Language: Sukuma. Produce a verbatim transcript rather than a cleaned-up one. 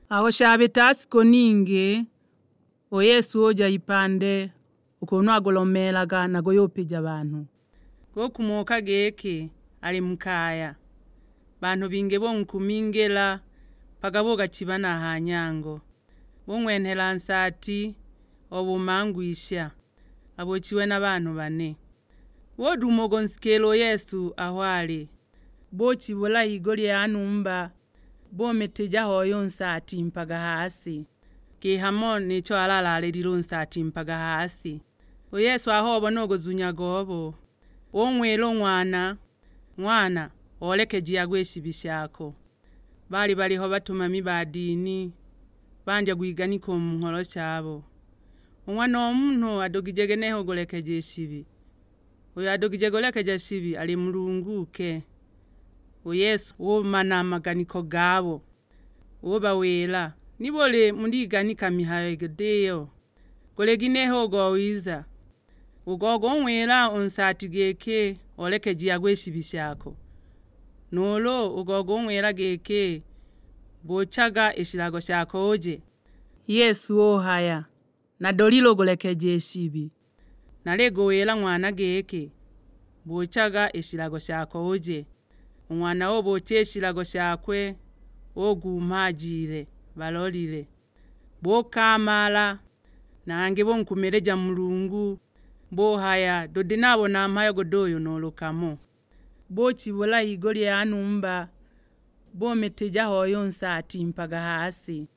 Aho shabita shiku ningi, u Yesu uja ipande u kunu agulomeelaga na guyupija banhu. Gukumoka giki ali mu kaya. Banhu bingi bunkumingila mpaka bugachiba na ha nyango. Bung'wenhela nsaati o bumangwisha, abuchiwe na banhu bane. Buduma ugunsikila u Yesu aho ali. Buchibula higulya ya numba, bumitija hoi u nsaati mpaga ha si. Kihamo nicho alalaalilile u nsaati mpaga ha si. U Yesu aho obona u guzunya gobo, ung'wila u ng'wana, "Ng'wana, oolekejiagwa i shibi shako." Baali baliho batumami ba dini, bandya gwiganika u mu ngholo shabo. U Ng'wana o Munhu adugije ginehe u gulekeja i shibi? Uyo adugije gulekeja shibi ali Mulungu ke. U Yesu umana a maganiko gabo, ubawila, "Nibuli muliganika mihayo gid'iyo? Guli ginehe u gowiza? U go gung'wila u nsaati giki, 'Olekejiagwa i shibi shako'? Nuulu u go gung'wila giki, 'Buchaga i shilago shako uje'?" Yesu uhaya, "Nadolile u gulekeja i shibi. Naliguwila ng'wana giki, 'Buchaga i shilago shako uje.' U ng'wana ubucha i shilago shakwe, ugumha ajile, balolile. Bukamala, na hangi bunkumilija Mulungu, buhaya, 'Tudi nabona mhayo guduyu nuulu kamo.'" Buchibula higulya ya numba, bumitija hoi u nsaati mpaga ha si.